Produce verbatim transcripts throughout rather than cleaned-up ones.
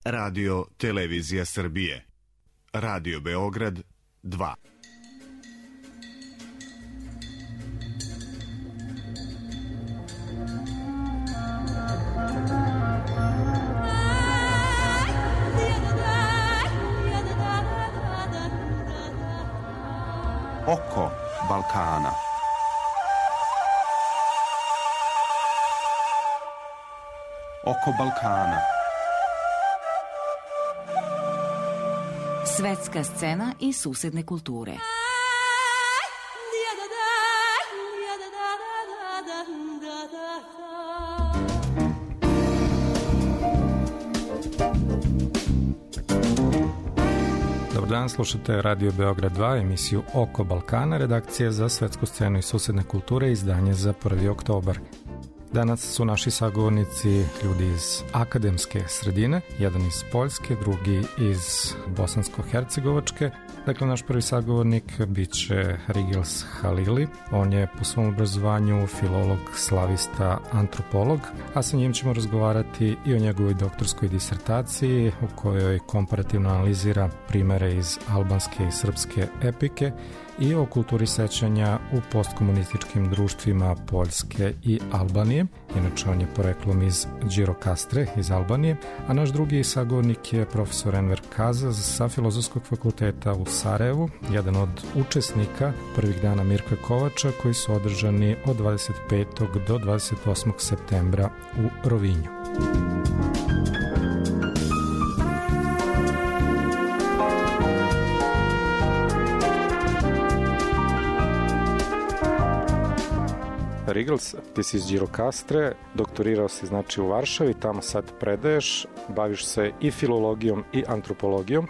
Radio Televizija Srbije. Radio Beograd dva. Oko Balkana. Oko Balkana. Svetska scena i susedne kulture. Dobar dan, slušate Radio Beograd dva, emisiju Oko Balkana, redakcija za svetsku scenu i susedne kulture, izdanje za prvi oktobar. Danas su naši sagovornici ljudi iz akademske sredine, jedan iz Poljske, drugi iz Bosansko-Hercegovačke. Dakle, naš prvi sagovornik bit će Rigils Halili. On je po svom obrazovanju filolog, slavista, antropolog, a sa njim ćemo razgovarati i o njegovoj doktorskoj disertaciji u kojoj komparativno analizira primere iz albanske i srpske epike i o kulturi sećanja u postkomunističkim društvima Poljske i Albanije. Inače, on je poreklom iz Đirokastre, iz Albanije, a naš drugi sagovornik je profesor Enver Kazaz sa Filozofskog fakulteta u Sarajevu, jedan od učesnika prvih dana Mirka Kovača koji su održani od dvadeset petog do dvadeset osmog septembra u Rovinju. Rigils, ti si iz Đirokastre, doktorirao si znači u Varšavi, tamo sad predaješ, baviš se i filologijom i antropologijom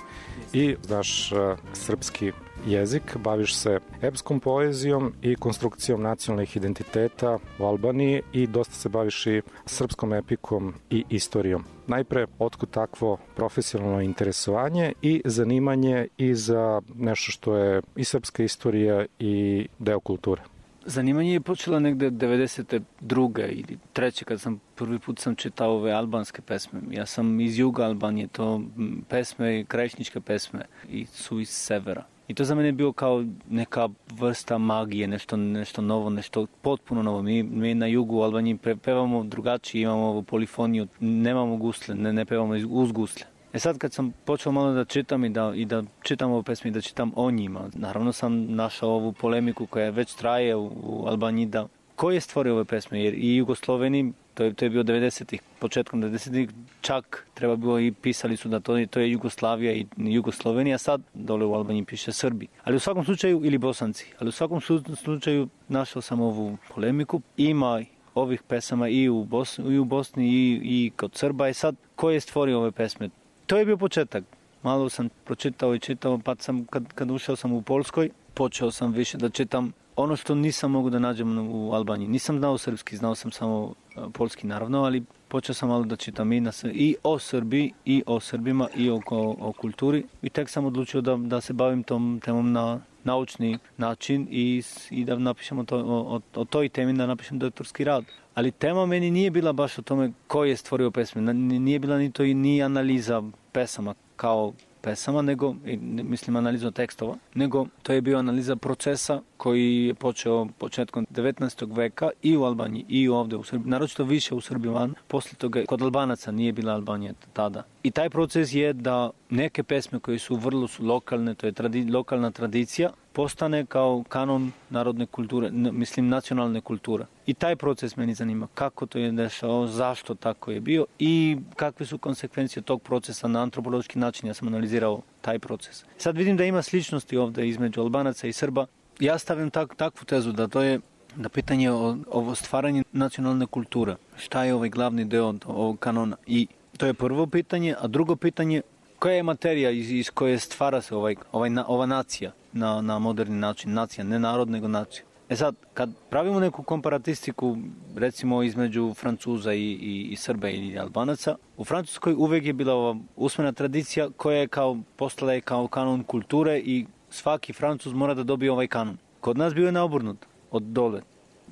i znaš uh, srpski jezik, baviš se epskom poezijom i konstrukcijom nacionalnih identiteta u Albaniji i dosta se baviš i srpskom epikom i istorijom. Najpre, otkud takvo profesionalno interesovanje i zanimanje i za nešto što je i srpska istorija i deo kulture? Zanimanje je počelo negde devedeset druge ili treće kad sam prvi put sam čitao ove albanske pesme. Ja sam iz juga Albanije, to pesme, krajišničke pesme i su iz severa. I to za mene je bio kao neka vrsta magije, nešto, nešto novo, nešto potpuno novo. Mi, mi na jugu Albanije pevamo drugačije, imamo ovu polifoniju, nemamo gusle, ne, ne pevamo uz gusle. E sad kad sam počeo malo da čitam i da, i da čitam ove pesme i da čitam o njima, naravno sam našao ovu polemiku koja već traje u, u Albaniji, da ko je stvorio ove pesme, jer i Jugosloveni, to je, to je bio devedesetih, početkom devedesetih, čak treba bilo i pisali su da to je, to je Jugoslavija i Jugoslovenija, sad dole u Albaniji piše Srbi. Ali u svakom slučaju, ili Bosanci, ali u svakom slučaju našao sam ovu polemiku, ima ovih pesama i u Bosni, i, u Bosni i, i kod Srba, i sad ko je stvorio ove pesme? To je bio početak. Malo sam pročitao i čitao, pa sam, kad, kad ušao sam u Poljskoj, počeo sam više da čitam ono što nisam mogu da nađem u Albaniji. Nisam znao srpski, znao sam samo poljski naravno, ali počeo sam malo da čitam i, na, i o Srbiji, i o Srbima, i o, o, o kulturi. I tek sam odlučio da, da se bavim tom temom na naučni način i, i da napišemo to, o, o toj temi, da napišem doktorski rad. Ali tema meni nije bila baš o tome ko je stvorio pesme. Nije bila ni to i ni analiza pesama kao pesama, nego, mislim analiza tekstova, nego to je bio analiza procesa koji je počeo početkom devetnaestog veka i u Albaniji i ovde u Srbiji, naročito više u Srbiji van, posle toga kod Albanaca nije bila Albanija tada. I taj proces je da neke pesme koje su vrlo su lokalne, to je tradi, lokalna tradicija, postane kao kanon narodne kulture, mislim nacionalne kulture. I taj proces meni zanima, kako to je dešao, zašto tako je bio i kakve su konsekvencije tog procesa na antropološki način. Ja sam analizirao taj proces. Sad vidim da ima sličnosti ovde između Albanaca i Srba. Ja stavim tak, takvu tezu da to je da pitanje o, o stvaranju nacionalne kulture. Šta je ovaj glavni deo ovog kanona? I to je prvo pitanje, a drugo pitanje, koja je materija iz, iz koje stvara se ovaj, ovaj, ova nacija na, na moderni način? Nacija, ne narod, nego nacija. E sad, kad pravimo neku komparatistiku, recimo između Francuza i, i, i Srba ili Albanaca, u Francuskoj uvek je bila ova usmena tradicija koja je kao, postala je kao kanon kulture i svaki Francuz mora da dobije ovaj kanon. Kod nas bio je naobrnut, od dole.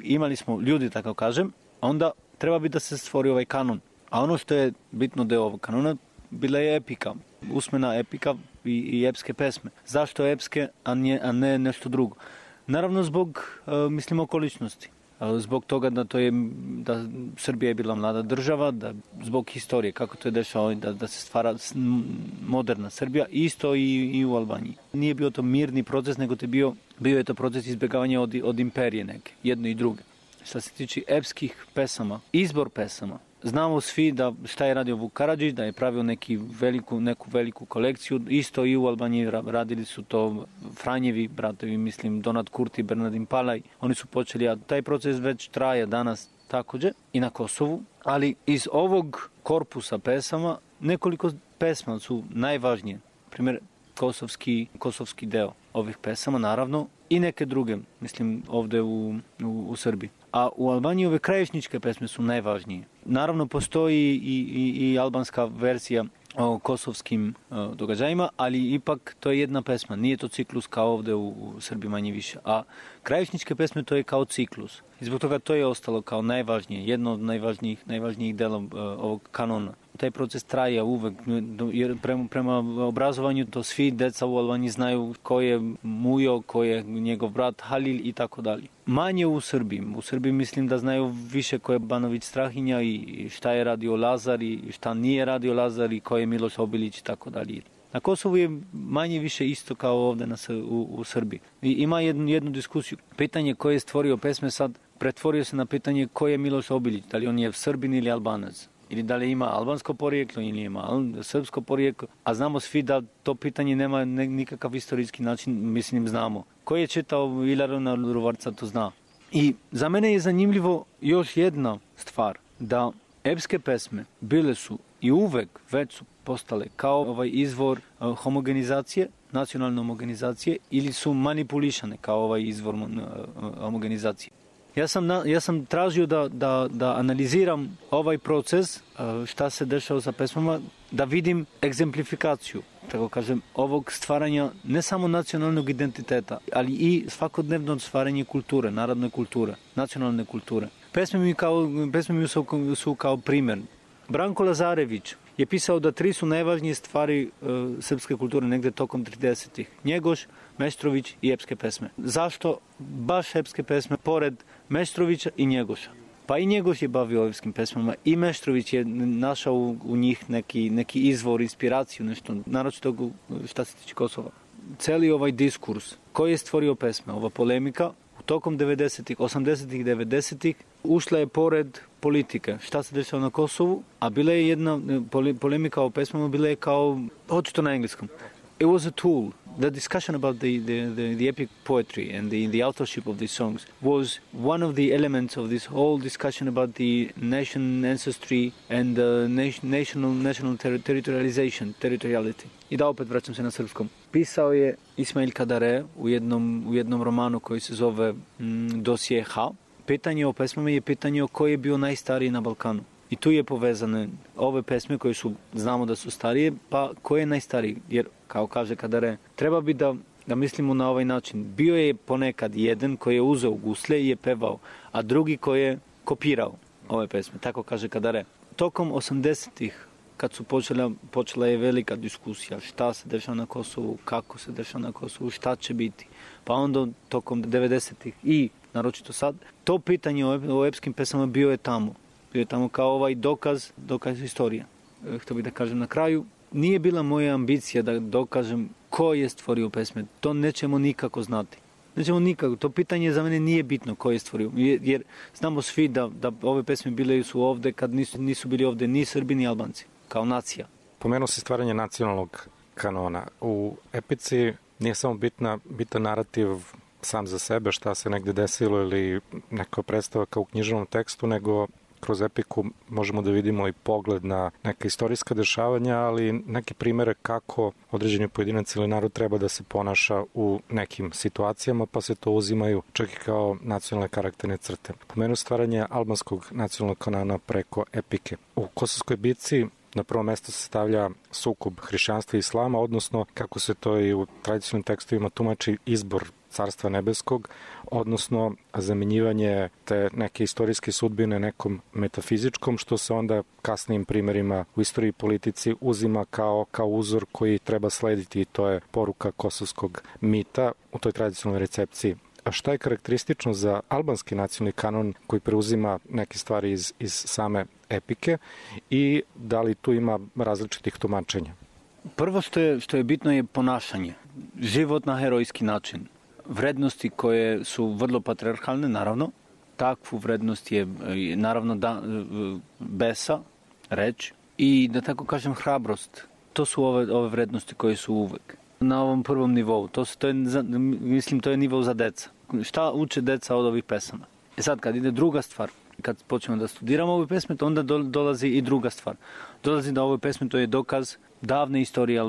Imali smo ljudi, tako kažem, a onda treba bi da se stvori ovaj kanon. A ono što je bitno deo ovog kanona, bila je epika, usmena epika i, i epske pesme. Zašto epske, a ne, a ne nešto drugo? Naravno zbog, uh, mislim, okoličnosti. Zbog toga da to je da Srbija je bila mlada država, da zbog historije kako to je dešao da, da se stvara moderna Srbija, isto i, i u Albaniji. Nije bio to mirni proces, nego to je bio, bio je to proces izbjegavanja od, od imperije neke, jedno i druge. Što se tiče epskih pesama, izbor pesama, znamo svi da šta je radio Vuk Karadžić, da je pravio neki veliku, neku veliku kolekciju, isto i u Albaniji radili su to Franjevi bratovi, mislim Donat Kurti, Bernardin Palaj, oni su počeli, a taj proces već traje danas također i na Kosovu, ali iz ovog korpusa pesama nekoliko pesma su najvažnije, primjer kosovski, kosovski deo ovih pesama, naravno, i neke druge, mislim ovdje u, u, u Srbiji. A u Albaniji ove krajišničke pesme su najvažnije. Naravno, postoji i, i, i albanska verzija o kosovskim o, događajima, ali ipak to je jedna pesma. Nije to ciklus kao ovdje u, u Srbiji manje više. A krajišničke pesme to je kao ciklus. I zbog toga to je ostalo kao najvažnije, jedno od najvažnijih, najvažnijih dela uh, ovog kanona. Taj proces traje uvek, jer prema, prema obrazovanju to svi deca u Albaniji znaju ko je Mujo, ko je njegov brat Halil i tako dalje. Manje u Srbiji. U Srbiji mislim da znaju više ko je Banović Strahinja i šta je radio Lazar i šta nije radio Lazar i ko je Miloš Obilić i tako dalje. Na Kosovu je manje više isto kao ovdje na, u, u Srbiji. I ima jednu, jednu diskusiju. Pitanje ko je stvorio pesme sad pretvorio se na pitanje ko je Miloš Obilić. Da li on je Srbin ili Albanac? Ili da li ima albansko porijeklo ili ima srpsko porijeklo. A znamo svi da to pitanje nema nikakav istorijski način, mislim znamo. Ko je čitao Ilarona Ruvarca to zna. I za mene je zanimljivo još jedna stvar. Da epske pesme bile su i uvek već su postale kao ovaj izvor uh, homogenizacije, nacionalne homogenizacije ili su manipulišane kao ovaj izvor uh, homogenizacije. Ja sam, na, ja sam tražio da, da, da analiziram ovaj proces, uh, šta se dešava sa pesmama, da vidim egzemplifikaciju, tako kažem, ovog stvaranja ne samo nacionalnog identiteta, ali i svakodnevno stvaranje kulture, narodne kulture, nacionalne kulture. Pesme mi, kao, pesme mi su, su kao primjer. Branko Lazarević je pisao da tri su najvažnije stvari uh, srpske kulture negdje tokom tridesetih. Njegoš, Meštrović i epske pesme. Zašto baš epske pesme pored Meštrovića i Njegoša? Pa i Njegoš je bavio epskim pesmama i Meštrović je našao u, u njih neki, neki izvor, inspiraciju, nešto, naročito šta se tiče Kosova. Celi ovaj diskurs koji je stvorio pesme, ova polemika, tokom devedesetih, osamdesetih, devedesetih ušla je pored politike. Šta se dešava na Kosovu? A bila je jedna polemika o pesmama, bila je kao, očito na engleskom. It was a tool. The discussion about the, the, the, the epic poetry and the, the authorship of these songs was one of the elements of this whole discussion about the nation ancestry and uh, nation, national, national ter- territorialization, territoriality. I da opet vraćam se na srpskom. Pisao je Ismail Kadare u jednom, u jednom romanu koji se zove mm, Dosije H. Pitanje o pesmama je pitanje o koji je bio najstariji na Balkanu. I tu je povezane ove pesme koje su, znamo da su starije, pa ko je najstariji? Jer, kao kaže Kadare, treba bi da, da mislimo na ovaj način. Bio je ponekad jedan koji je uzeo guslje i je pevao, a drugi koji je kopirao ove pesme, tako kaže Kadare. Tokom osamdesetih, kad su počela, počela je velika diskusija šta se dešava na Kosovu, kako se dešava na Kosovu, šta će biti. Pa onda tokom devedesetih i naročito sad, to pitanje o, o epskim pesama bio je tamo. Bio je tamo kao ovaj dokaz, dokaz istorije. Htio bih da kažem na kraju, nije bila moja ambicija da dokažem ko je stvorio pesme. To nećemo nikako znati. Nećemo nikako. To pitanje za mene nije bitno ko je stvorio. Jer znamo svi da, da ove pesme bile su ovde kad nisu, nisu bili ovde ni Srbi ni Albanci. Kao nacija. Pomenuo se stvaranje nacionalnog kanona. U epici nije samo bitna, bitan narativ sam za sebe, šta se negde desilo ili neka predstava kao u književnom tekstu, nego kroz epiku možemo da vidimo i pogled na neka istorijska dešavanja, ali neke primere kako određeni pojedinac ili narod treba da se ponaša u nekim situacijama, pa se to uzimaju čak i kao nacionalne karakterne crte. Pomenu stvaranje albanskog nacionalnog kanona preko epike. U Kosovskoj bitci na prvo mesto se stavlja sukob hrišćanstva i islama, odnosno kako se to i u tradicionalnim tekstovima tumači izbor Carstva nebeskog, odnosno zamjenjivanje te neke istorijske sudbine nekom metafizičkom, što se onda kasnijim primjerima u istoriji i politici uzima kao, kao uzor koji treba slediti, i to je poruka kosovskog mita u toj tradicionalnoj recepciji. A šta je karakteristično za albanski nacionalni kanon koji preuzima neke stvari iz, iz same epike i da li tu ima različitih tumačenja? Prvo što je, što je bitno je ponašanje. Život na herojski način. Vrednosti koje su vrlo patriarhalne, naravno. Takvu vrednost je, naravno, da, besa, reč i, da tako kažem, hrabrost. To su ove, ove vrednosti koje su uvek na ovom prvom nivou. To, to je, mislim, to je nivo za deca. Šta uče deca od ovih pesama? E sad, kad ide druga stvar, kad počnemo da studiramo ove pesme, to onda dolazi i druga stvar. Dolazi da ove pesme, to je dokaz davne istorije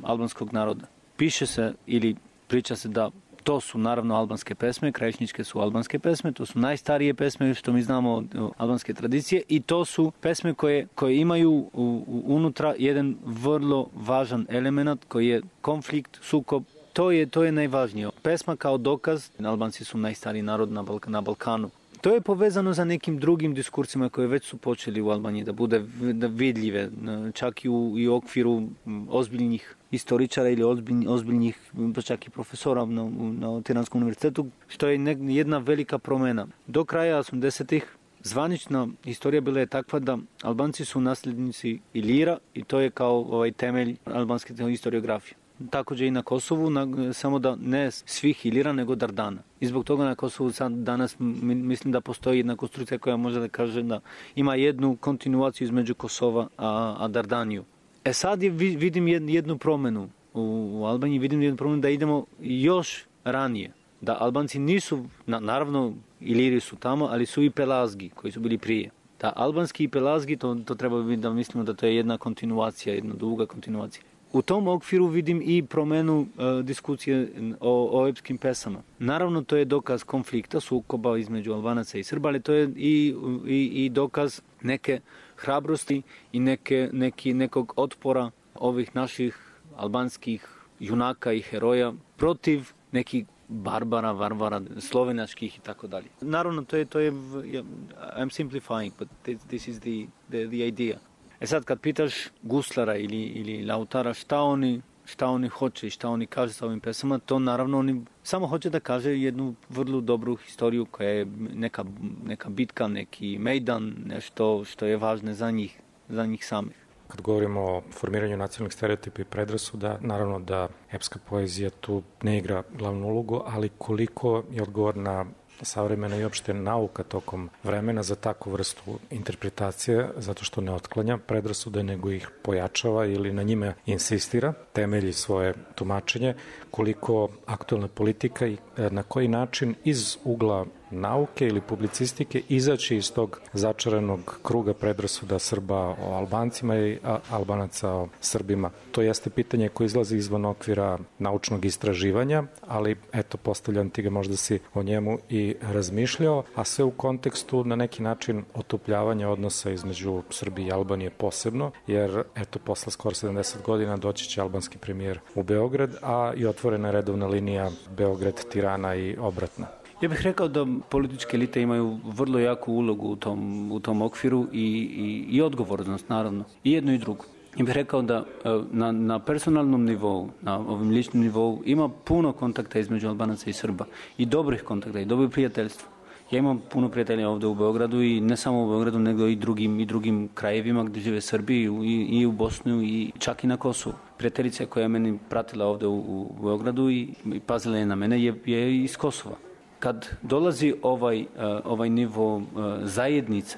albanskog naroda. Piše se ili priča se da to su naravno albanske pesme, krajišničke su albanske pesme, to su najstarije pesme što mi znamo od albanske tradicije i to su pesme koje, koje imaju u, u, unutra jedan vrlo važan element koji je konflikt, sukob. To je, to je najvažnije. Pesma kao dokaz, Albanci su najstariji narod na, Balk- na Balkanu. To je povezano za nekim drugim diskursima koje već su počeli u Albaniji da bude da vidljive, čak i u, i u okviru ozbiljnih istoričara ili ozbiljnih, ozbiljnih pa čak i profesora na, na Tiranskom univerzitetu, što je ne, jedna velika promjena. Do kraja osamdesetih zvanična istorija bila je takva da Albanci su nasljednici Ilira i to je kao ovaj temelj albanske historiografije. Također i na Kosovu, na, samo da ne svih Ilira, nego Dardana. I zbog toga na Kosovu sad danas mislim da postoji jedna konstrukcija koja može da kaže da ima jednu kontinuaciju između Kosova a, a Dardaniju. E sad je, vidim jednu promjenu u, u Albaniji, vidim jednu promjenu da idemo još ranije. Da Albanci nisu, na, naravno Iliri su tamo, ali su i Pelazgi koji su bili prije. Da Albanski i Pelazgi, to, to treba biti da mislimo da to je jedna kontinuacija, jedna duga kontinuacija. U tom okviru vidim i promjenu e, diskusije o, o epskim pesama. Naravno, to je dokaz konflikta, sukoba između Albanaca i Srba, ali to je i, i, i dokaz neke hrabrosti i neke, neki, nekog otpora ovih naših albanskih junaka i heroja protiv nekih barbara, varvara, slovenačkih i tako dalje. Naravno, to je, to je, I'm simplifying, but this is the, the, the idea. E sad, kad pitaš guslara ili, ili lautara šta oni, šta oni hoće i šta oni kaže sa ovim pesama, to naravno oni samo hoće da kaže jednu vrlo dobru historiju koja je neka, neka bitka, neki mejdan, nešto što je važno za njih, za njih samih. Kad govorimo o formiranju nacionalnih stereotipa i predrasuda, naravno da epska poezija tu ne igra glavnu ulogu, ali koliko je odgovorna savremena i opšte nauka tokom vremena za takvu vrstu interpretacije, zato što ne otklanja predrasude, nego ih pojačava ili na njime insistira, temelji svoje tumačenje, koliko aktualna politika i na koji način iz ugla nauke ili publicistike izaći iz tog začaranog kruga predrasuda Srba o Albancima i Albanaca o Srbima. To jeste pitanje koje izlazi izvan okvira naučnog istraživanja, ali eto, postavljam ti ga, možda si o njemu i razmišljao, a sve u kontekstu na neki način otupljavanja odnosa između Srbije i Albanije posebno, jer eto, posle skoro sedamdeset godina doći će albanski premijer u Beograd, a i otvorena je redovna linija Beograd-Tirana i obratna. Ja bih rekao da političke elite imaju vrlo jaku ulogu u tom, u tom okviru i, i, i odgovornost, naravno, i jedno i drugo. Ja bih rekao da na, na personalnom nivou, na ovim ličnom nivou, ima puno kontakta između Albanaca i Srba i dobrih kontakta i dobrih prijateljstva. Ja imam puno prijatelja ovdje u Beogradu i ne samo u Beogradu, nego i drugim, i drugim krajevima gdje žive Srbi i, i u Bosnu i čak i na Kosovu. Prijateljica koja je meni pratila ovdje u, u Beogradu i, i pazila je na mene je, je iz Kosova. Kad dolazi ovaj, ovaj nivo zajednice,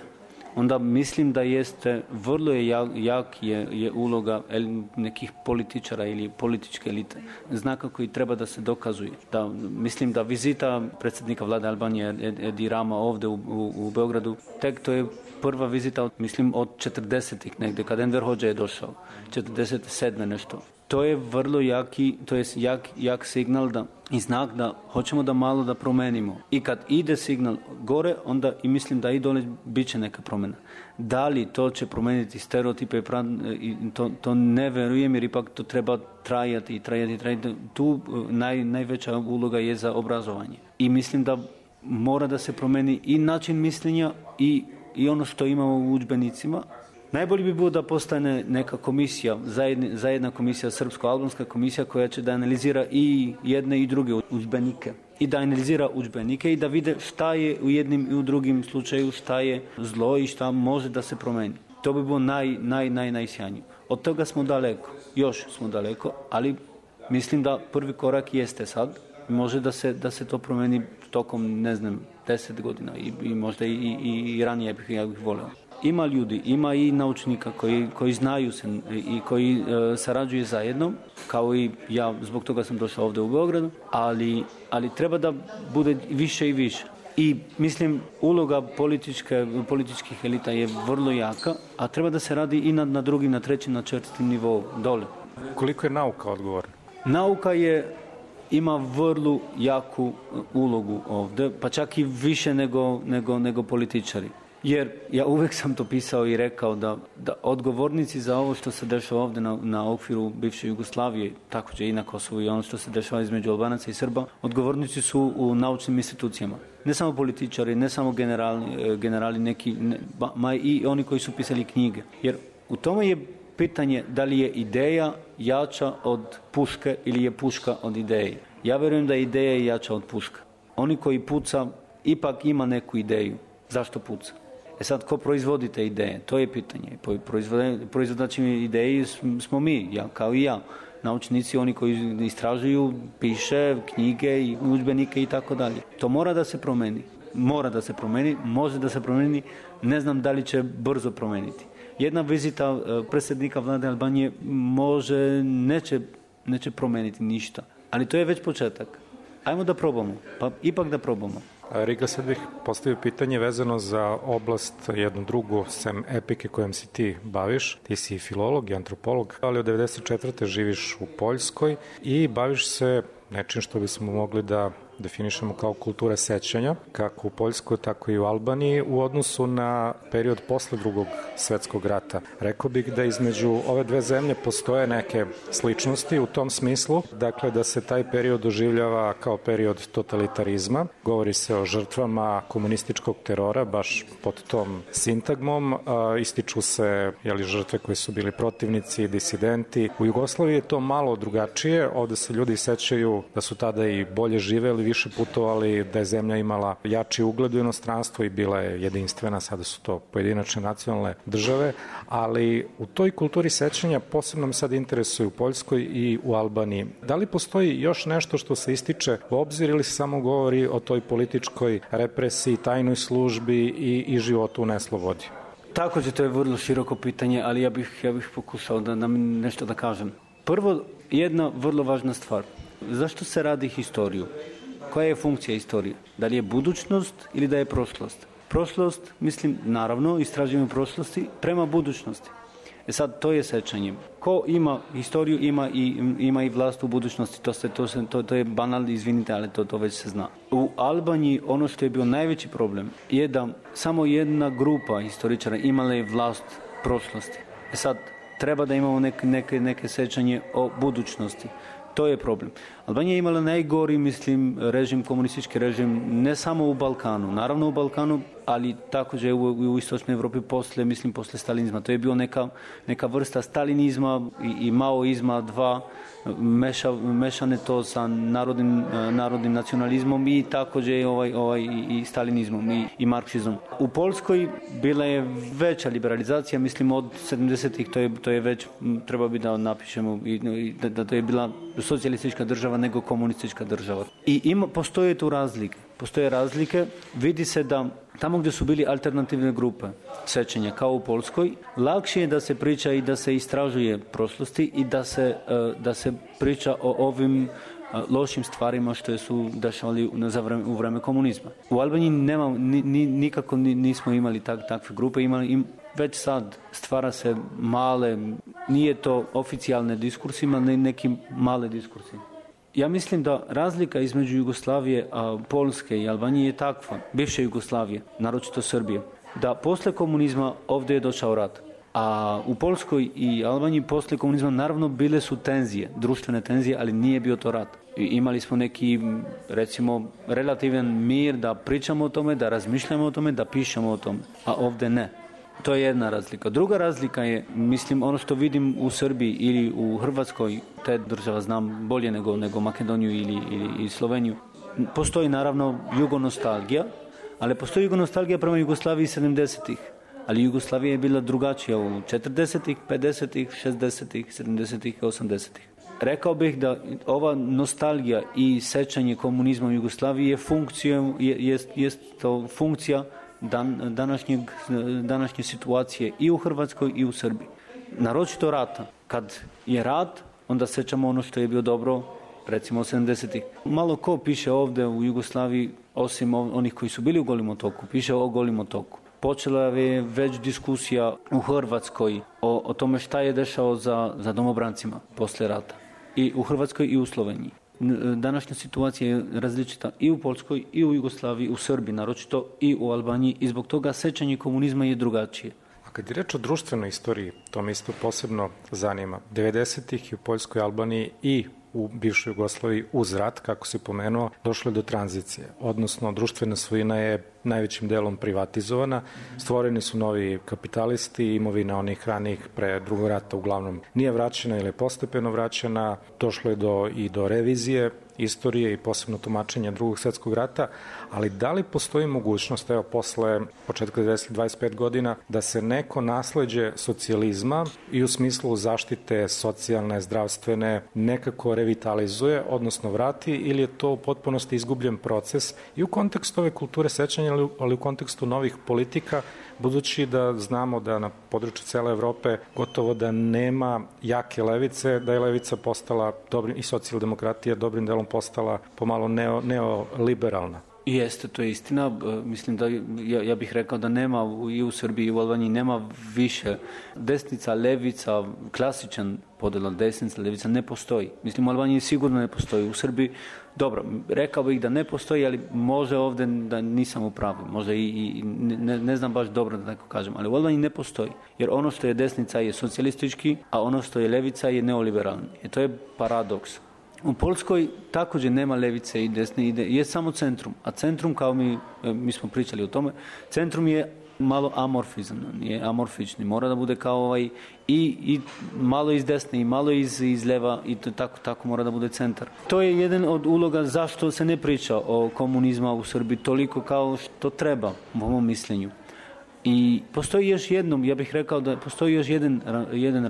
onda mislim da jeste vrlo je jak, jak je, je uloga nekih političara ili političke elite. Znaka koji treba da se dokazuje. Da, mislim da vizita predsjednika vlade Albanije Edi Rama ovdje u, u, u Beogradu, tek to je prva vizita, mislim, od četrdesetih negdje, kad Enver Hođa je došao, četrdeset sedme nešto. To je vrlo jaki, to je jak, jak signal da, i znak da hoćemo da malo da promenimo. I kad ide signal gore, onda i mislim da i dole bit će neka promjena. Da li to će promeniti stereotipe, to, to ne verujem, jer ipak to treba trajati i trajati, trajati. Tu naj, najveća uloga je za obrazovanje. I mislim da mora da se promeni i način mišljenja i, i ono što imamo u udžbenicima. Najbolje bi bilo da postane neka komisija, zajedna, zajedna komisija, srpsko-albanska komisija koja će da analizira i jedne i druge udžbenike. I da analizira udžbenike i da vide šta je u jednim i u drugim slučaju, šta je zlo i šta može da se promeni. To bi bilo naj, naj, naj, najsjajnije. Od toga smo daleko, još smo daleko, ali mislim da prvi korak jeste sad. Može da se, da se to promeni tokom, ne znam, deset godina i, i možda i, i, i ranije bih, ja bih volio. Ima ljudi, ima i naučnika koji, koji znaju se i koji e, sarađuju zajedno, kao i ja, zbog toga sam došao ovdje u Beogradu, ali, ali treba da bude više i više. I mislim, uloga političke, političkih elita je vrlo jaka, a treba da se radi i na, na drugim, na trećim, na četvrtim nivou, dole. Koliko je nauka odgovorna? Nauka je ima vrlo jaku ulogu ovdje, pa čak i više nego, nego, nego političari. Jer ja uvijek sam to pisao i rekao da, da odgovornici za ovo što se dešava ovdje na, na okviru bivše Jugoslavije, također i na Kosovu i ono što se dešava između Albanaca i Srba, odgovornici su u naučnim institucijama. Ne samo političari, ne samo generali, generali neki, ne, ma i oni koji su pisali knjige. Jer u tome je pitanje da li je ideja jača od puške ili je puška od ideje. Ja vjerujem da je ideja jača od puška. Oni koji puca ipak ima neku ideju. Zašto puca? E sad, ko proizvodi te ideje? To je pitanje. Proizvodači ideji smo mi, ja, kao i ja. Naučnici, oni koji istražuju, piše knjige i udžbenike i tako dalje. To mora da se promeni. Mora da se promeni, može da se promeni, ne znam da li će brzo promeniti. Jedna vizita predsjednika vlade Albanije može, neće, neće promeniti ništa. Ali to je već početak. Ajmo da probamo, pa ipak da probamo. Riga, sad bih postavio pitanje vezano za oblast jednu drugu, sem epike kojom si ti baviš. Ti si filolog i antropolog, ali od devedeset četvrte živiš u Poljskoj i baviš se nečim što bismo mogli da definišemo kao kultura sećanja, kako u Poljskoj, tako i u Albaniji, u odnosu na period posle drugog svetskog rata. Rekao bih da između ove dve zemlje postoje neke sličnosti u tom smislu, dakle da se taj period doživljava kao period totalitarizma. Govori se o žrtvama komunističkog terora, baš pod tom sintagmom. Ističu se jeli, žrtve koji su bili protivnici, disidenti. U Jugoslaviji je to malo drugačije, ovde se ljudi sećaju da su tada i bolje živeli, više putovali, da je zemlja imala jači ugled u inostranstvu i bila je jedinstvena, sada su to pojedinačne nacionalne države, ali u toj kulturi sećanja posebno me sad interesuje u Poljskoj i u Albaniji. Da li postoji još nešto što se ističe u obzir ili se samo govori o toj političkoj represiji, tajnoj službi i, i životu u neslobodi? Također to je vrlo široko pitanje, ali ja bih, ja bih pokušao da nam nešto da kažem. Prvo, jedna vrlo važna stvar. Zašto se radi historiju? Koja je funkcija istorije? Da li je budućnost ili da je prošlost? Prošlost, mislim, naravno, istražujemo prošlosti prema budućnosti. E sad, to je sećanje. Ko ima historiju, ima i, ima i vlast u budućnosti. To, se, to, se, to, to je banalno, izvinite, ali to, to već se zna. U Albaniji ono što je bio najveći problem je da samo jedna grupa historičara imala je vlast prošlosti. E sad, treba da imamo neke, neke, neke sećanje o budućnosti. To je problem. Albanija je imala najgori, mislim, režim, komunistički režim, ne samo u Balkanu, naravno u Balkanu, ali također u, u istočnoj Evropi posle, mislim, posle stalinizma. To je bio neka, neka vrsta stalinizma i, i maoizma, dva, meša, mešane to sa narodnim, narodnim nacionalizmom i također ovaj, ovaj, i, i stalinizmom i, i marksizmom. U Poljskoj bila je veća liberalizacija, mislim, od sedamdesetih, to je, to je već, treba bi da napišemo, i, da, da to je bila socijalistička država nego komunistička država. I ima, postoje tu razlike. Postoje razlike, vidi se da tamo gdje su bili alternativne grupe sećanja, kao u Poljskoj, lakše je da se priča i da se istražuje prošlosti i da se, da se priča o ovim lošim stvarima što su dešavali u vreme komunizma. U Albaniji nema, ni, ni, nikako nismo imali tak, takve grupe, imali im, već sad stvara se male, nije to oficijalne diskursi, ima neki male diskursi. Ja mislim da razlika između Jugoslavije, a, Poljske i Albanije je takva, bivše Jugoslavije, naročito Srbije, da posle komunizma ovdje je došao rat. A u Poljskoj i Albaniji posle komunizma naravno bile su tenzije, društvene tenzije, ali nije bio to rat. I imali smo neki, recimo, relativan mir da pričamo o tome, da razmišljamo o tome, da pišemo o tome, a ovdje ne. To je jedna razlika. Druga razlika je, mislim, ono što vidim u Srbiji ili u Hrvatskoj, te država znam bolje nego, nego Makedoniju ili, ili, ili Sloveniju. Postoji naravno jugonostalgija, ali postoji jugonostalgija prema Jugoslaviji sedamdesetih. Ali Jugoslavija je bila drugačija u četrdesetih, pedesetih, šezdesetih, sedamdesetih i osamdesetih. Rekao bih da ova nostalgija i sećanje komunizma u Jugoslaviji je funkcija, je, jest, jest to funkcija dan, današnjeg, današnje situacije i u Hrvatskoj i u Srbiji. Naročito rata. Kad je rat, onda sećamo ono što je bilo dobro, recimo sedamdesetih. Malo ko piše ovdje u Jugoslaviji, osim onih koji su bili u Golim otoku, piše o Golim otoku. Počela je već diskusija u Hrvatskoj o, o tome šta je dešao za, za domobrancima posle rata. I u Hrvatskoj i u Sloveniji. Današnja situacija je različita i u Poljskoj, i u Jugoslaviji, u Srbiji, naročito i u Albaniji. I zbog toga sećanje komunizma je drugačije. A kad je reč o društvenoj istoriji, to me isto posebno zanima. devedesetih i u Poljskoj, Albaniji i u bivšoj Jugoslaviji uz rat, kako se pomenuo, došlo je do tranzicije. Odnosno, društvena svojina je najvećim delom privatizovana. Stvoreni su novi kapitalisti, imovina onih ranih pre drugog rata uglavnom nije vraćena ili je postepeno vraćena. Došlo je do, i do revizije istorije i posebno tumačenja drugog svjetskog rata, ali da li postoji mogućnost, evo, posle početka devedesetih, dvadeset pet godina, da se neko nasleđe socijalizma i u smislu zaštite socijalne, zdravstvene, nekako revitalizuje, odnosno vrati, ili je to u potpunosti izgubljen proces i u kontekstu ove kulture sećanja, ali u kontekstu novih politika, budući da znamo da na području cele Evrope gotovo da nema jake levice, da je levica postala dobrim, i socijaldemokratija dobrim delom postala pomalo neo, neoliberalna. Jeste, to je istina. Mislim da ja, ja bih rekao da nema i u Srbiji i u Albaniji nema više desnica, levica, klasičan podela desnica, levica ne postoji. Mislim, u Albaniji sigurno ne postoji. U Srbiji, dobro, rekao bih da ne postoji, ali može ovdje da nisam u pravu. Možda i, i ne, ne znam baš dobro da tako kažem, ali u Albaniji ne postoji. Jer ono što je desnica je socijalistički, a ono što je levica je neoliberalni. I to je paradoks. U Poljskoj također nema levice i desne ide, je samo centrum. A centrum, kao mi, mi smo pričali o tome, centrum je malo amorfizam, je amorfični. Mora da bude kao ovaj i, i malo iz desne i malo iz, iz leva i to, tako, tako mora da bude centar. To je jedan od uloga zašto se ne priča o komunizma u Srbiji toliko kao što treba, po mom mišljenju. I postoji još jednom, ja bih rekao da postoji još jedan, jedan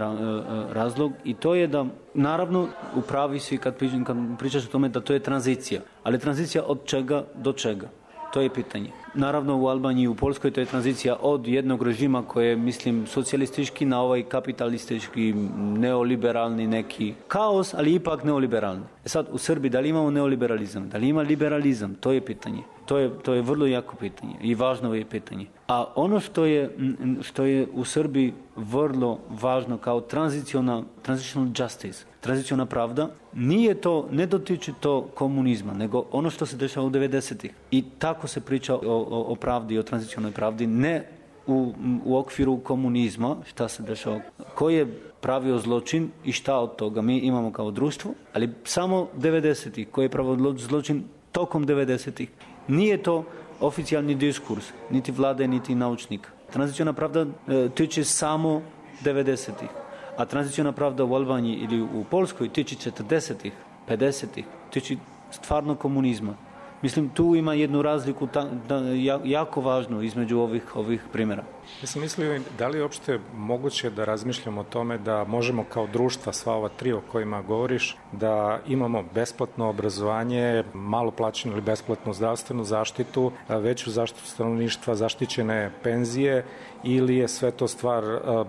razlog i to je da, naravno, upravi si kad, kad pričaš o tome da to je tranzicija. Ali tranzicija od čega do čega? To je pitanje. Naravno, u Albaniji i u Poljskoj to je tranzicija od jednog režima koji je, mislim, socijalistički na ovaj kapitalistički, neoliberalni neki kaos, ali ipak neoliberalni. E sad, u Srbiji da li imamo neoliberalizam? Da li ima liberalizam? To je pitanje. To je, to je vrlo jako pitanje i važno je pitanje. A ono što je, što je u Srbiji vrlo važno kao tranzicional, transitional justice, tranziciona pravda, nije to, ne dotiče to komunizma, nego ono što se dešava u devedesetih. I tako se priča o, o, o pravdi, o tranzicionoj pravdi, ne u, u okviru komunizma, šta se dešava, koji je pravio zločin i šta od toga mi imamo kao društvo, ali samo devedesetih, koji je pravio zločin tokom devedesetih. Nije to oficijalni diskurs, niti vlade, niti naučnika. Tranziciona pravda e, tiče samo devedesetih, a tranziciona pravda u Albaniji ili u Poljskoj tiče četrdesetih, pedesetih, tiče stvarno komunizma. Mislim, tu ima jednu razliku ta, da, jako važnu između ovih, ovih primjera. Ja sam mislio, da li je uopšte moguće da razmišljamo o tome da možemo kao društva, sva ova tri o kojima govoriš, da imamo besplatno obrazovanje, malo plaćenu ili besplatnu zdravstvenu zaštitu, veću zaštitu stanovništva, zaštićene penzije, ili je sve to stvar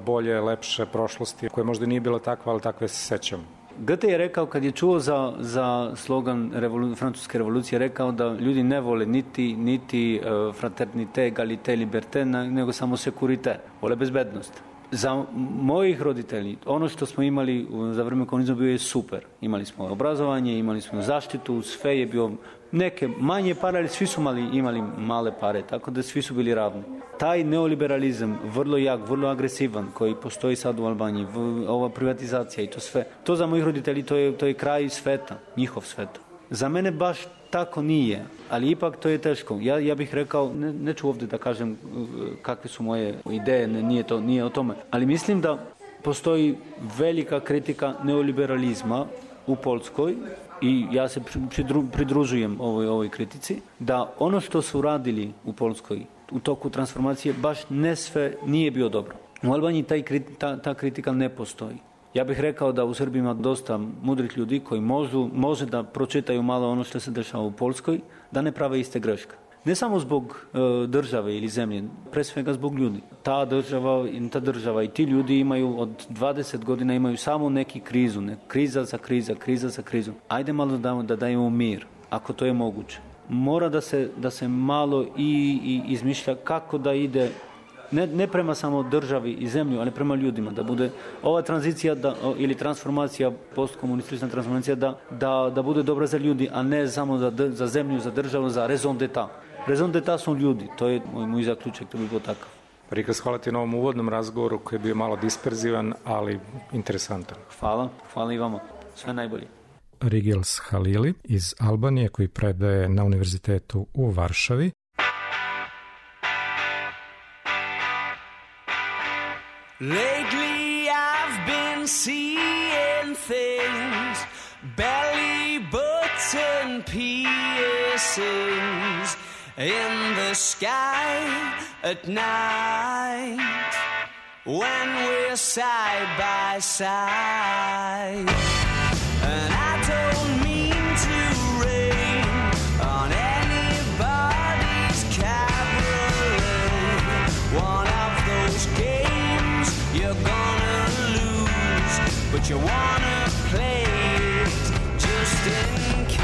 bolje, lepše prošlosti, koja možda nije bila takva, ali takve se sećam? Goethe je rekao, kad je čuo za, za slogan revolu, francuske revolucije, rekao da ljudi ne vole niti, niti uh, fraternite, egalite, liberté, nego samo securite, vole bezbednost. Za mojih roditelji, ono što smo imali za vrijeme komunizma bio je super. Imali smo obrazovanje, imali smo zaštitu, sve je bio neke manje pare, ali svi su mali, imali male pare, tako da svi su bili ravni. Taj neoliberalizam, vrlo jak, vrlo agresivan, koji postoji sad u Albaniji, ova privatizacija i to sve, to za mojih roditelji to je, to je kraj sveta, njihov sveta. Za mene baš tako nije, ali ipak to je teško. Ja, ja bih rekao, ne, neću ovdje da kažem kakve su moje ideje, ne, nije, to, nije o tome, ali mislim da postoji velika kritika neoliberalizma u Poljskoj i ja se pridru, pridružujem ovoj, ovoj kritici, da ono što su radili u Poljskoj u toku transformacije baš ne sve nije bio dobro. U Albaniji taj, ta, ta kritika ne postoji. Ja bih rekao da u Srbiji ima dosta mudrih ljudi koji možu, može da pročitaju malo ono što se dešava u Poljskoj, da ne prave iste greške. Ne samo zbog e, države ili zemlje, pre svega zbog ljudi. Ta država, ta država i ti ljudi imaju od dvadeset godina imaju samo neki krizu, ne, kriza za kriza, kriza za krizu. Ajde malo da, da dajemo mir, ako to je moguće. Mora da se, da se malo i, i izmišlja kako da ide, ne, ne prema samo državi i zemlju, ali prema ljudima, da bude ova tranzicija da, ili transformacija, postkomunistična transformacija, da, da, da bude dobra za ljudi, a ne samo za, za zemlju, za državu, za raison d'etat. Raison d'etat su ljudi, to je moj, moj zaključak, to bi bilo takav. Rikas, hvala ti na ovom uvodnom razgovoru koji je bio malo disperzivan, ali interesantan. Hvala, hvala i vama. Sve najbolje. Rigils Halili iz Albanije koji predaje na univerzitetu u Varšavi. Lately I've been seeing things, belly button piercings in the sky at night when we're side by side. And I don't mean to rain on anybody's cabaret. One of those games you're gonna lose, but you wanna play it just in case.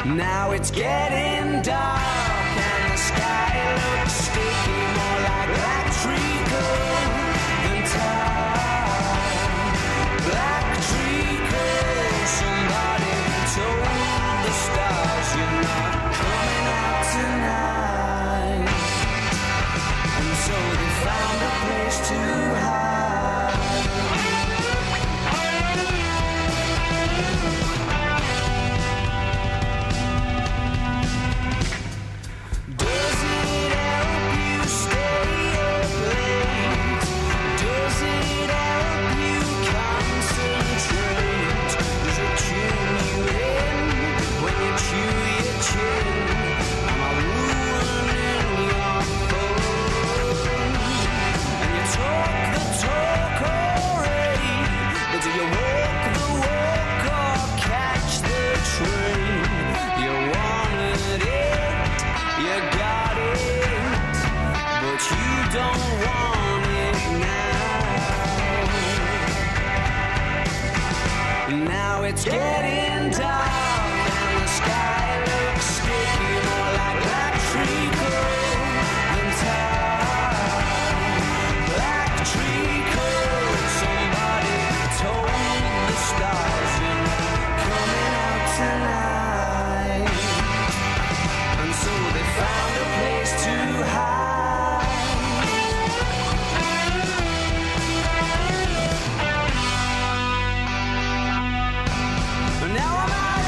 Now it's getting dark and the sky looks sticky, more like black treacle than tar. Black treacle, somebody told the stars you're not coming out tonight. And so they found a place to hide. Does it help you stay up late? Does it help you concentrate? Does it tune you in when you chew your chin? Am I ruining your fun? And you talk the talk already, but do you walk the walk or catch the train? You wanted it, you got it, but you don't want it now. Now it's getting dark and the sky looks sticky, more like black treacle than tar. Black treacle, somebody told the stars you're not coming out tonight. And so they found a place to hide. Now I'm out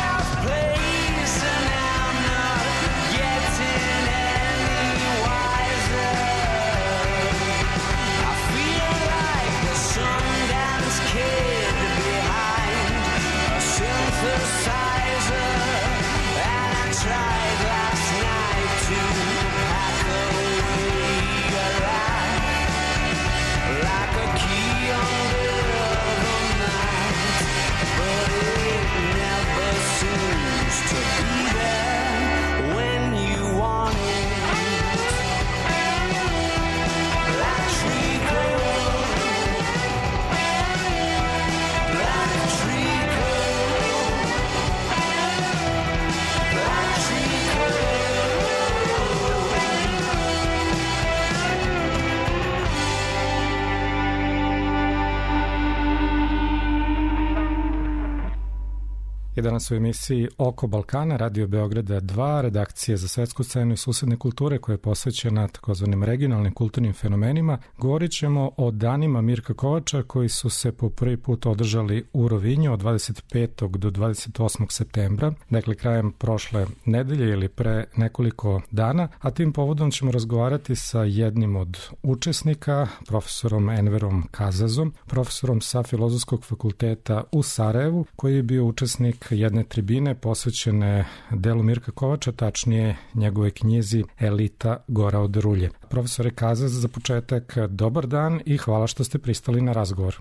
danas u emisiji Oko Balkana, Radio Beograda dva, redakcije za svetsku scenu i susedne kulture koja je posvećena takozvanim regionalnim kulturnim fenomenima. Govorit ćemo o danima Mirka Kovača koji su se po prvi put održali u Rovinju od dvadeset petog do dvadeset osmog septembra, dakle krajem prošle nedelje ili pre nekoliko dana, a tim povodom ćemo razgovarati sa jednim od učesnika, profesorom Enverom Kazazom, profesorom sa Filozofskog fakulteta u Sarajevu, koji je bio učesnik jedne tribine posvećene delu Mirka Kovača, tačnije njegove knjizi Elita Gora od Rulje. Profesore Kazaz, za početak dobar dan i hvala što ste pristali na razgovor.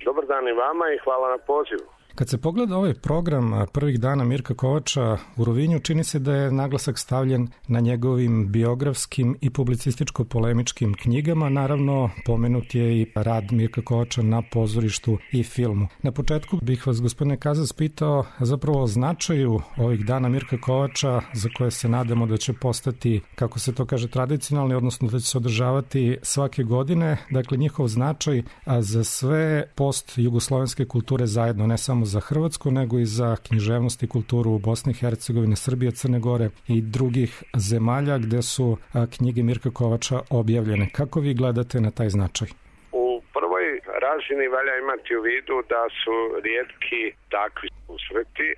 Dobar dan i vama i hvala na pozivu. Kad se pogleda ovaj program prvih dana Mirka Kovača u Rovinju, čini se da je naglasak stavljen na njegovim biografskim i publicističko-polemičkim knjigama. Naravno, pomenut je i rad Mirka Kovača na pozorištu i filmu. Na početku bih vas, gospodine Kazas, pitao zapravo o značaju ovih dana Mirka Kovača, za koje se nadamo da će postati, kako se to kaže, tradicionalni, odnosno da će se održavati svake godine. Dakle, njihov značaj za sve post-jugoslovenske kulture zajedno, ne samo za Hrvatsku, nego i za književnost i kulturu u Bosni i Hercegovini, Srbije, Crne Gore i drugih zemalja gde su knjige Mirka Kovača objavljene. Kako vi gledate na taj značaj? U prvoj razini valja imati u vidu da su rijetki takvi susreti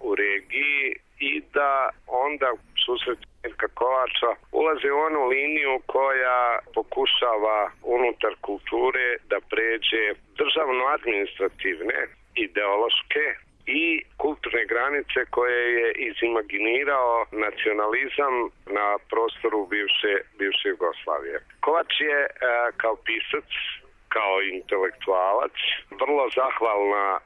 u regiji i da onda susreti Mirka Kovača ulaze u onu liniju koja pokušava unutar kulture da pređe državno-administrativne, ideološke i kulturne granice koje je izimaginirao nacionalizam na prostoru bivše, bivše Jugoslavije. Kovač je e, kao pisac, kao intelektualac, vrlo zahvalna a,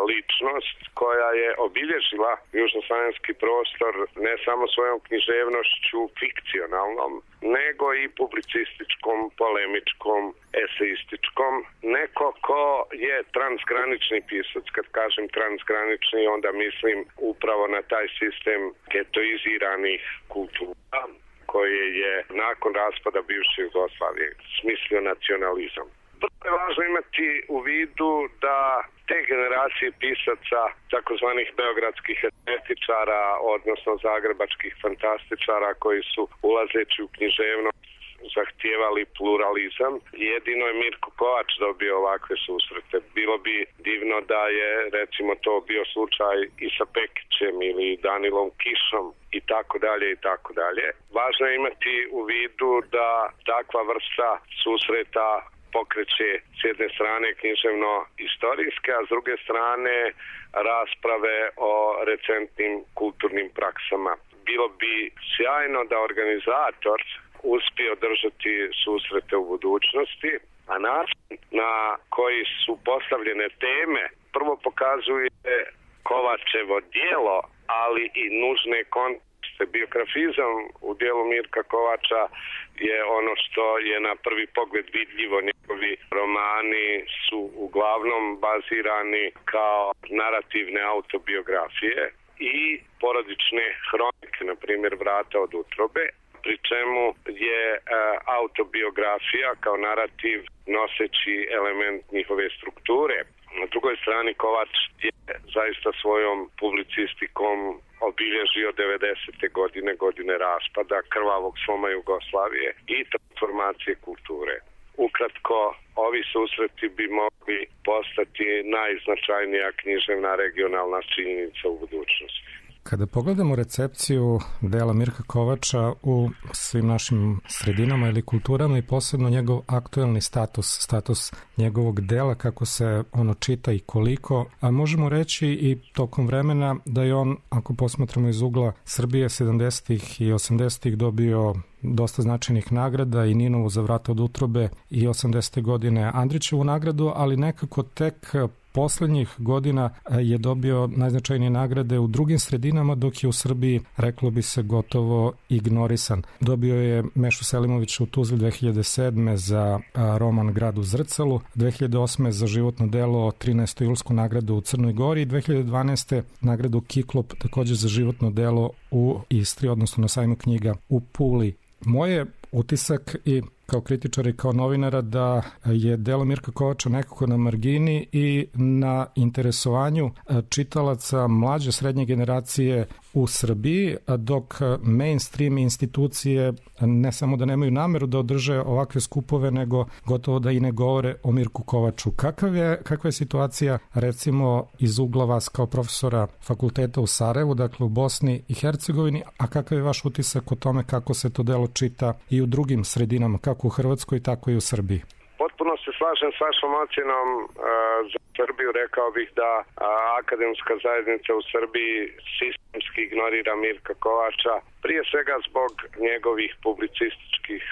ličnost koja je obilježila južnoslavenski prostor ne samo svojom književnošću fikcionalnom, nego i publicističkom, polemičkom, eseističkom. Neko ko je transgranični pisac, kad kažem transgranični, onda mislim upravo na taj sistem getoiziranih kultura koje je nakon raspada bivše Jugoslavije smislio nacionalizam. Vrlo je važno imati u vidu da te generacije pisaca, takozvanih beogradskih estetičara, odnosno zagrebačkih fantastičara koji su ulazeći u književnost zahtijevali pluralizam. Jedino je Mirko Kovač dobio ovakve susrete. Bilo bi divno da je recimo to bio slučaj i sa Pekićem ili Danilom Kišom i tako dalje i tako dalje. Važno je imati u vidu da takva vrsta susreta pokreće s jedne strane književno-istorijske, a s druge strane rasprave o recentnim kulturnim praksama. Bilo bi sjajno da organizator uspije održati susrete u budućnosti, a način na koji su postavljene teme prvo pokazuje Kovačevo djelo, ali i nužne kontekste. Biografizam u dijelu Mirka Kovača je ono što je na prvi pogled vidljivo. Njegovi romani su uglavnom bazirani kao narativne autobiografije i porodične hronike, na primjer Vrata od utrobe, pri čemu je e, autobiografija kao narativ noseći element njihove strukture. Na drugoj strani Kovač je zaista svojom publicistikom obilježio devedesete godine, godine raspada, krvavog sloma Jugoslavije i transformacije kulture. Ukratko, ovi susreti bi mogli postati najznačajnija književna regionalna činjenica u budućnosti. Kada pogledamo recepciju dela Mirka Kovača u svim našim sredinama ili kulturama i posebno njegov aktuelni status, status njegovog dela, kako se ono čita i koliko, a možemo reći i tokom vremena da je on, ako posmatramo iz ugla Srbije, sedamdesetih i osamdesetih dobio dosta značajnih nagrada, i Ninovu za Vrata od utrobe i osamdesete godine Andrićevu nagradu, ali nekako tek poslednjih godina je dobio najznačajnije nagrade u drugim sredinama, dok je u Srbiji, reklo bi se, gotovo ignorisan. Dobio je Mešu Selimovića u Tuzli dve hiljade sedme za roman Grad u zrcalu, dve hiljade osme za životno delo trinaestu julsku nagradu u Crnoj Gori i dve hiljade dvanaeste nagradu Kiklop također za životno delo u Istri, odnosno na sajmu knjiga u Puli. Moje utisak, i kao kritičara i kao novinara da je delo Mirka Kovača nekako na margini i na interesovanju čitalaca mlađe srednje generacije u Srbiji, dok mainstream institucije ne samo da nemaju nameru da održe ovakve skupove, nego gotovo da i ne govore o Mirku Kovaču. Kakav je, kakva je situacija recimo iz ugla vas kao profesora fakulteta u Sarajevu, dakle u Bosni i Hercegovini, a kakav je vaš utisak o tome kako se to delo čita i u drugim sredinama, kako u Hrvatskoj, tako i u Srbiji? Potpuno se slažem s vašom ocjenom. Za Srbiju rekao bih da akademska zajednica u Srbiji sistemski ignorira Mirka Kovača, prije svega zbog njegovih publicističkih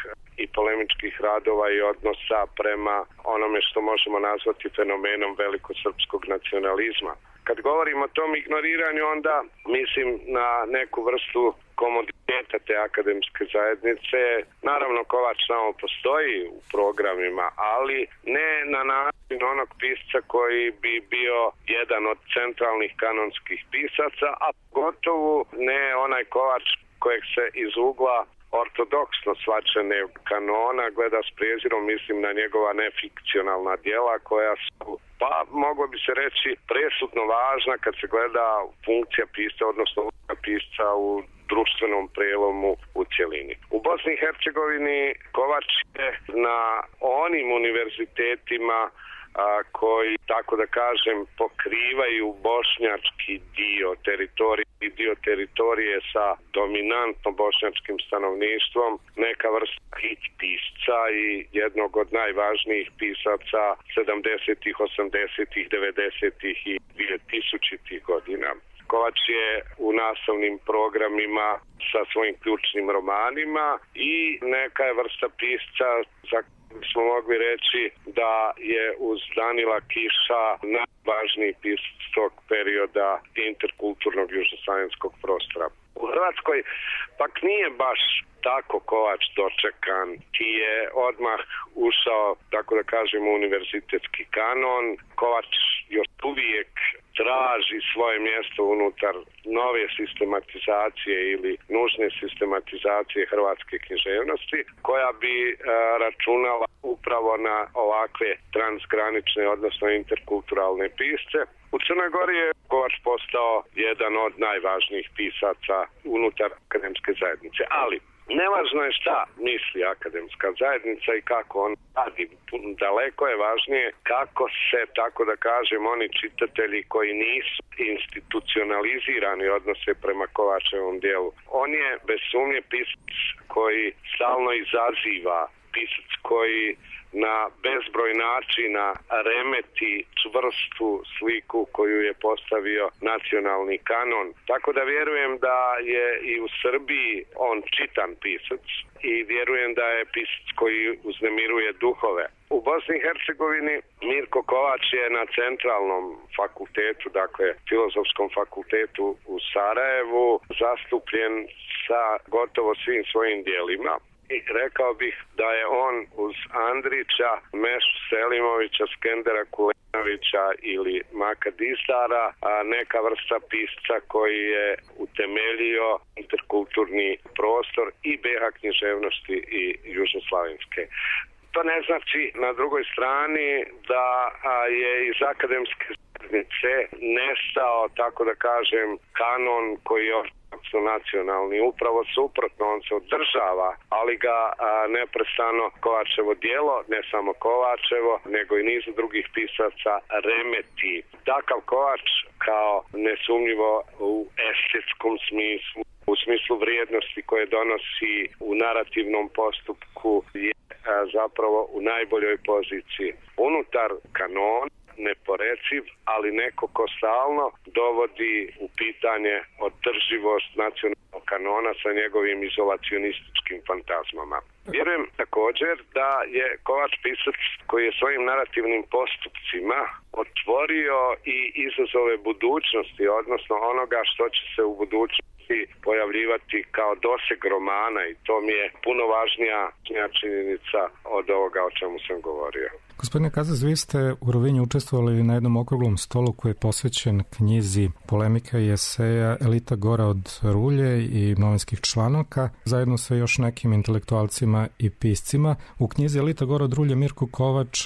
i polemičkih radova i odnosa prema onome što možemo nazvati fenomenom velikosrpskog nacionalizma. Kad govorim o tom ignoriranju, onda mislim na neku vrstu komoditeta te akademske zajednice. Naravno, Kovač samo postoji u programima, ali ne na način onog pisca koji bi bio jedan od centralnih kanonskih pisaca, a pogotovo ne onaj Kovač kojeg se iz ugla ortodoksno shvaćene kanona gleda s prezirom, mislim na njegova nefikcionalna djela koja su, pa moglo bi se reći, presudno važna kad se gleda funkcija pisca, odnosno uloga pisca u društvenom prelomu u cjelini. U Bosni i Hercegovini Kovač je na onim univerzitetima a, koji, tako da kažem, pokrivaju bošnjački dio teritorije i dio teritorije sa dominantno bošnjačkim stanovništvom, neka vrsta hit pisca i jednog od najvažnijih pisaca sedamdesetih, osamdesetih, devedesetih i dvije-tisućitih godina. Kovač je u nastavnim programima sa svojim ključnim romanima i neka je vrsta pisca za smo mogli reći da je uz Danila Kiša najvažniji pisac tog perioda interkulturnog južnoslavenskog prostora. U Hrvatskoj pak nije baš tako Kovač dočekan, ki je odmah ušao, tako da kažem, u univerzitetski kanon. Kovač još uvijek traži svoje mjesto unutar nove sistematizacije ili nužne sistematizacije hrvatske književnosti, koja bi e, računala upravo na ovakve transgranične, odnosno interkulturalne pisce. U Crnoj Gori je Kovač postao jedan od najvažnijih pisaca unutar akademske zajednice, ali nevažno je šta misli akademska zajednica i kako on radi. Daleko je važnije kako se, tako da kažem, oni čitatelji koji nisu institucionalizirani odnose prema Kovačevom dijelu. On je bez sumnje pisac koji stalno izaziva, pisac koji na bezbroj načina remeti čvrstu sliku koju je postavio nacionalni kanon. Tako da vjerujem da je i u Srbiji on čitan pisac i vjerujem da je pisac koji uznemiruje duhove. U Bosni i Hercegovini Mirko Kovač je na centralnom fakultetu, dakle Filozofskom fakultetu u Sarajevu, zastupljen sa gotovo svim svojim dijelima. I rekao bih da je on uz Andrića, Mešu Selimovića, Skendera Kulenovića ili Maka Dizdara neka vrsta pisca koji je utemeljio interkulturni prostor i be ha književnosti i južnoslavenske. To ne znači na drugoj strani da je iz akademske zajednice nestao, tako da kažem, kanon koji je nacionalni. Upravo suprotno, on se održava, ali ga a, neprestano Kovačevo djelo, ne samo Kovačevo, nego i niz drugih pisaca remeti. Takav Kovač kao nesumnjivo u estetskom smislu, u smislu vrijednosti koje donosi u narativnom postupku je a, zapravo u najboljoj poziciji. Unutar kanona neporeciv, ali neko ko stalno dovodi u pitanje održivost nacionalnog kanona sa njegovim izolacionističkim fantazmama. Vjerujem također da je Kovač pisac koji je svojim narativnim postupcima otvorio i izazove budućnosti, odnosno onoga što će se u budućnosti pojavljivati kao doseg romana i to mi je puno važnija činjenica od ovoga o čemu sam govorio. Gospodine Kazaz, vi ste u Rovinju učestvovali na jednom okruglom stolu koji je posvećen knjizi polemika i eseja Elita Gora od Rulje i novinskih članaka, zajedno sa još nekim intelektualcima i piscima. U knjizi Elita Gora od Rulje Mirko Kovač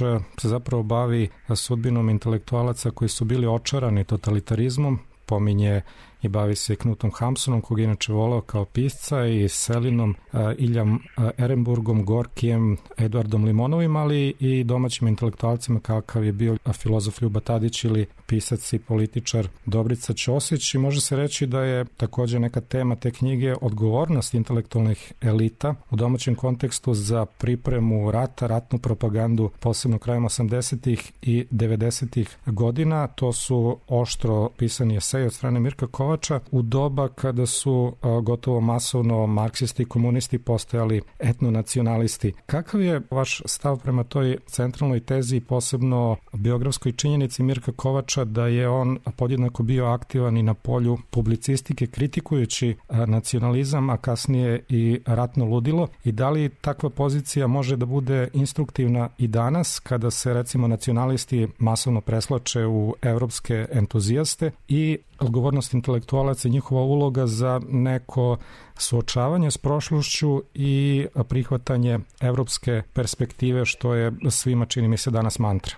se zapravo bavi sudbinom intelektualaca koji su bili očarani totalitarizmom, pominje i bavi se Knutom Hamsunom, kog je inače volao kao pisca, i Selinom, Iljam Ehrenburgom, Gorkijem, Eduardom Limonovim, ali i domaćim intelektualcima kakav je bio filozof Ljuba Tadić ili pisac i političar Dobrica Ćosić. I može se reći da je također neka tema te knjige odgovornost intelektualnih elita u domaćem kontekstu za pripremu rata, ratnu propagandu, posebno krajem osamdesetih i devedesetih godina. To su oštro pisani eseji od strane Mirka Kovača u doba kada su gotovo masovno marksisti i komunisti postojali etnonacionalisti. Kakav je vaš stav prema toj centralnoj tezi i posebno biografskoj činjenici Mirka Kovača da je on podjednako bio aktivan i na polju publicistike kritikujući nacionalizam, a kasnije i ratno ludilo, i da li takva pozicija može da bude instruktivna i danas kada se recimo nacionalisti masovno preslače u evropske entuzijaste i odgovornost intelektualaca i njihova uloga za neko suočavanje s prošlošću i prihvatanje evropske perspektive, što je svima, čini mi se, danas mantra.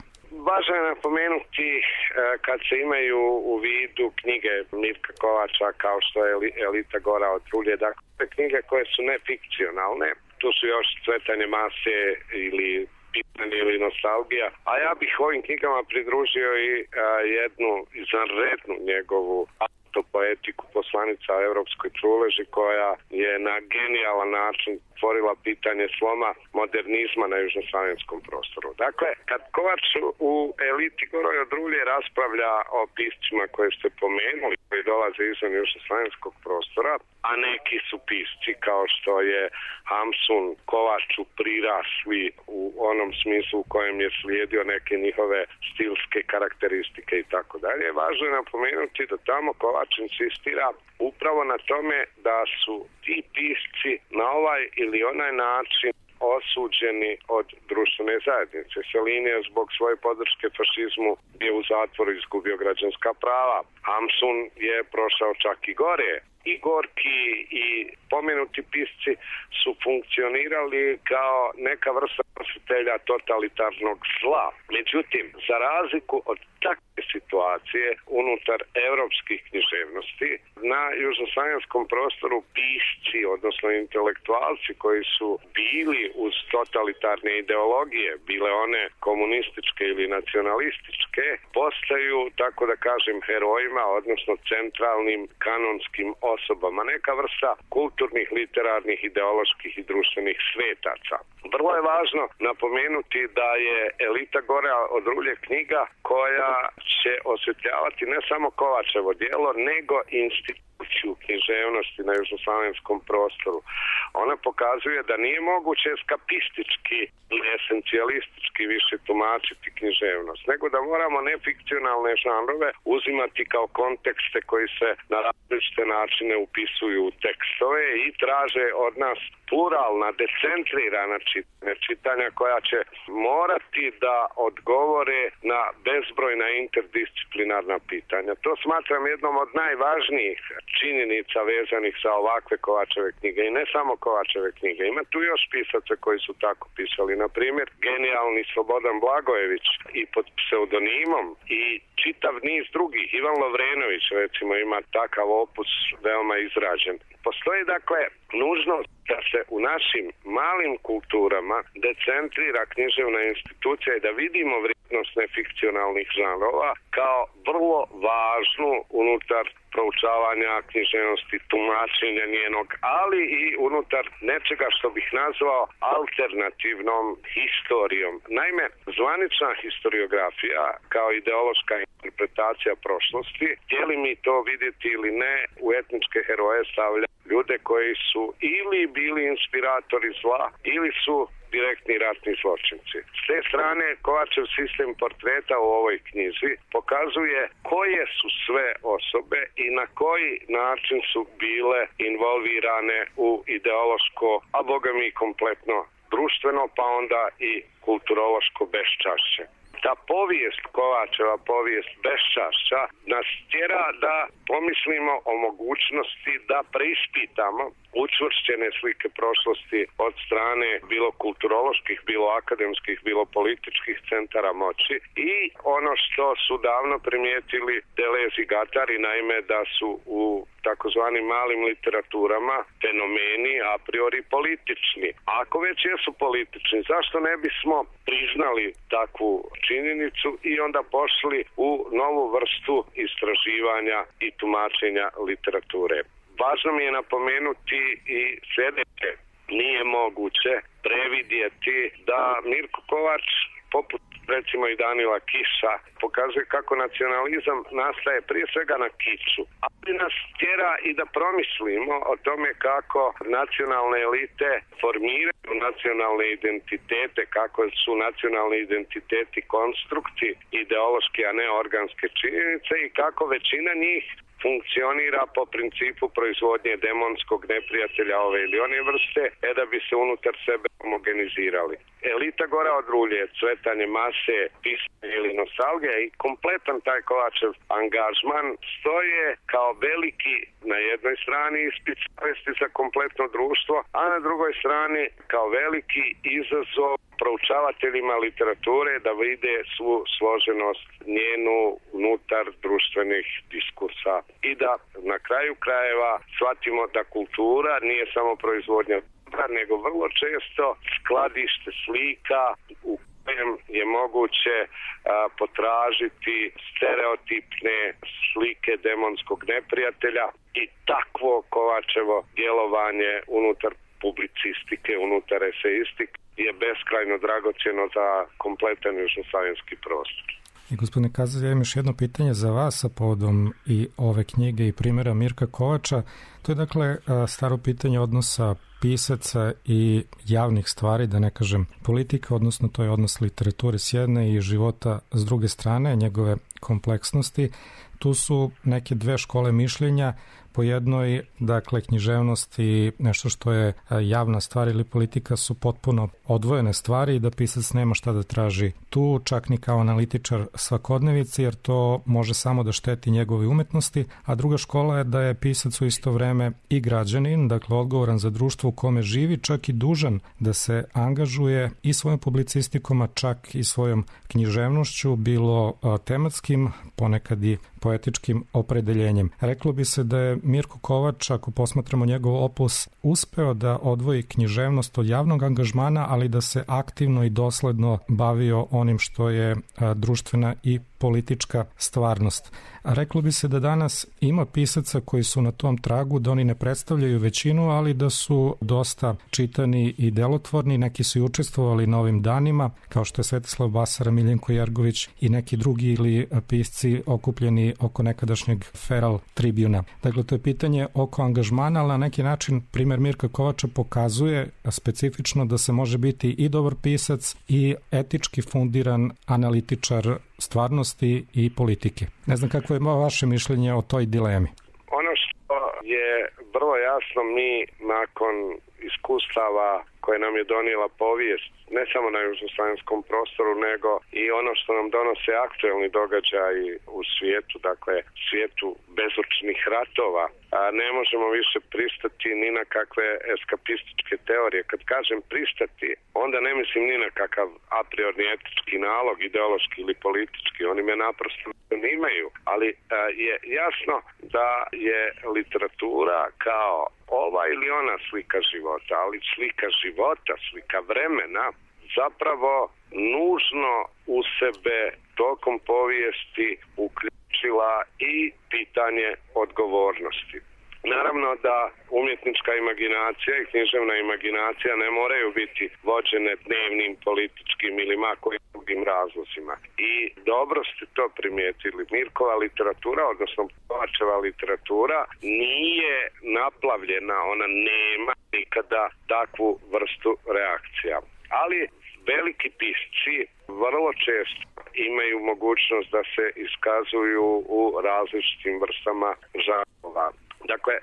Važno je napomenuti kad se imaju u vidu knjige Mirka Kovača kao što je Elita Gora od Rulje, dakle knjige koje su nefikcionalne, tu su još Cvetanje mase ili Pitanje ili Nostalgija, a ja bih ovim knjigama pridružio i a, jednu izvanrednu njegovu autopoetiku Poslanica o Evropskoj truleži, koja je na genijalan način stvorila pitanje sloma modernizma na južnoslavenskom prostoru. Dakle, kad Kovač u Eliti Gora od Rulje raspravlja o piscima koje ste pomenuli, koji dolaze izvan južnoslavenskog prostora, a neki su pisci kao što je Hamsun Kovaču prirasli u onom smislu u kojem je slijedio neke njihove stilske karakteristike i tako dalje. Važno je napomenuti da tamo Kovač insistira upravo na tome da su ti pisci na ovaj ili onaj način osuđeni od društvene zajednice. Selin je zbog svoje podrške fašizmu bio u zatvoru i izgubio građanska prava. Hamsun je prošao čak i gore. I Gorki i pomenuti pisci su funkcionirali kao neka vrsta nositelja totalitarnog zla. Međutim, za razliku od takve situacije unutar evropskih književnosti, na južnoslavenskom prostoru pisci, odnosno intelektualci koji su bili uz totalitarne ideologije, bile one komunističke ili nacionalističke, postaju, tako da kažem, herojima, odnosno centralnim kanonskim osobama, neka vrsta kulturnih, literarnih, ideoloških i društvenih svetaca. Vrlo je važno napomenuti da je Elita Gora od Rulje knjiga koja će osvetljavati ne samo Kovačevo djelo, nego instituciju književnosti na južnoslavenskom prostoru. Ona pokazuje da nije moguće eskapistički ili esencijalistički više tumačiti književnost, nego da moramo nefikcionalne žanrove uzimati kao kontekste koji se na različite načine upisuju u tekstove i traže od nas pluralna, decentrirana čitanja, čitanja koja će morati da odgovore na bezbrojna interdisciplinarna pitanja. To smatram jednom od najvažnijih činjenica vezanih za ovakve Kovačeve knjige i ne samo Kovačeve knjige. Ima tu još pisaca koji su tako pisali. Na primjer, genijalni Slobodan Blagojević i pod pseudonimom i čitav niz drugih. Ivan Lovrenović recimo ima takav opus veoma izražen. Postoji dakle nužnost da se u našim malim kulturama decentrira književna institucija i da vidimo vrijednost nefikcionalnih žanrova kao vrlo važnu unutar proučavanja književnosti, tumačenja njenog, ali i unutar nečega što bih nazvao alternativnom historijom. Naime, zvanična historiografija kao ideološka interpretacija prošlosti, htjeli mi to vidjeti ili ne, u etničke heroje stavlja ljude koji su ili bili inspiratori zla, ili su direktni ratni zločinci. S te strane, Kovačev sistem portreta u ovoj knjizi pokazuje koje su sve osobe i na koji način su bile involvirane u ideološko, a boga mi kompletno društveno, pa onda i kulturološko beščašće. Ta povijest Kovačeva, povijest beščašća, nas tjera da pomislimo o mogućnosti da preispitamo učvršćene slike prošlosti od strane bilo kulturoloških, bilo akademskih, bilo političkih centara moći i ono što su davno primijetili Deleuze i Guattari, naime da su u takozvanim malim literaturama fenomeni a priori politični. A ako već jesu politični, zašto ne bismo priznali takvu činjenicu i onda pošli u novu vrstu istraživanja i tumačenja literature? Važno mi je napomenuti i sljedeće. Nije moguće previdjeti da Mirko Kovač, poput recimo i Danila Kiša, pokazuje kako nacionalizam nastaje prije svega na kiču. Ali nas tjera i da promislimo o tome kako nacionalne elite formiraju nacionalne identitete, kako su nacionalni identiteti konstrukti ideološki, a ne organske činjenice i kako većina njih funkcionira po principu proizvodnje demonskog neprijatelja ove ili one vrste, e da bi se unutar sebe homogenizirali. Elita gora od rulje, cvetanje mase, pisanje ili nostalgija i kompletan taj Kovačev angažman stoje kao veliki na jednoj strani ispit savjesti za kompletno društvo, a na drugoj strani kao veliki izazov proučavateljima literature da vide svu složenost njenu unutar društvenih diskursa i da na kraju krajeva shvatimo da kultura nije samo proizvodnja dobra, nego vrlo često skladište slika u kojem je moguće a, potražiti stereotipne slike demonskog neprijatelja i takvo Kovačevo djelovanje unutar publicistike, unutar eseistike je beskrajno dragocjeno za kompletan južnoslavenski prostor. I gospodine Kazalj, ja imam još jedno pitanje za vas sa povodom i ove knjige i primjera Mirka Kovača. To je dakle staro pitanje odnosa pisaca i javnih stvari, da ne kažem politika, odnosno to je odnos literature s jedne i života s druge strane, njegove kompleksnosti. Tu su neke dve škole mišljenja. Po jednoj, dakle, književnost i nešto što je javna stvar ili politika su potpuno odvojene stvari i da pisac nema šta da traži tu, čak ni kao analitičar svakodnevice, jer to može samo da šteti njegove umetnosti, a druga škola je da je pisac u isto vreme i građanin, dakle, odgovoran za društvo u kome živi, čak i dužan da se angažuje i svojom publicistikom, a čak i svojom književnošću, bilo tematskim, ponekad i poetičkim opredeljenjem. Reklo bi se da je Mirko Kovač, ako posmatramo njegov opus, uspeo da odvoji književnost od javnog angažmana, ali da se aktivno i dosledno bavio onim što je a, društvena i politička stvarnost. A reklo bi se da danas ima pisaca koji su na tom tragu, da oni ne predstavljaju većinu, ali da su dosta čitani i delotvorni, neki su i učestvovali na ovim danima, kao što je Svetislav Basara, Miljenko Jergović i neki drugi ili pisci okupljeni oko nekadašnjeg Feral Tribuna. Dakle, to je pitanje oko angažmana, ali na neki način primjer Mirka Kovača pokazuje specifično da se može biti i dobar pisac i etički fundiran analitičar stvarnosti i politike. Ne znam kako je vaše mišljenje o toj dilemi. Ono što je vrlo jasno, mi nakon iskustava koje nam je donijela povijest, ne samo na južnoslavenskom prostoru, nego i ono što nam donose aktuelni događaji u svijetu, dakle svijetu bezočnih ratova, a ne možemo više pristati ni na kakve eskapističke teorije. Kad kažem pristati, onda ne mislim ni na kakav a priori etički nalog, ideološki ili politički, oni me naprosto ne imaju, ali a, je jasno da je literatura kao ova ili ona slika života, ali slika života, slika vremena, zapravo nužno u sebe tokom povijesti uključila i pitanje odgovornosti. Naravno da umjetnička imaginacija i književna imaginacija ne moraju biti vođene dnevnim političkim ili makojim drugim razlozima. I dobro ste to primijetili. Mirkova literatura, odnosno Kovačeva literatura, nije naplavljena, ona nema nikada takvu vrstu reakcija. ali veliki pisci vrlo često imaju mogućnost da se iskazuju u različitim vrstama žanrova. Dakle,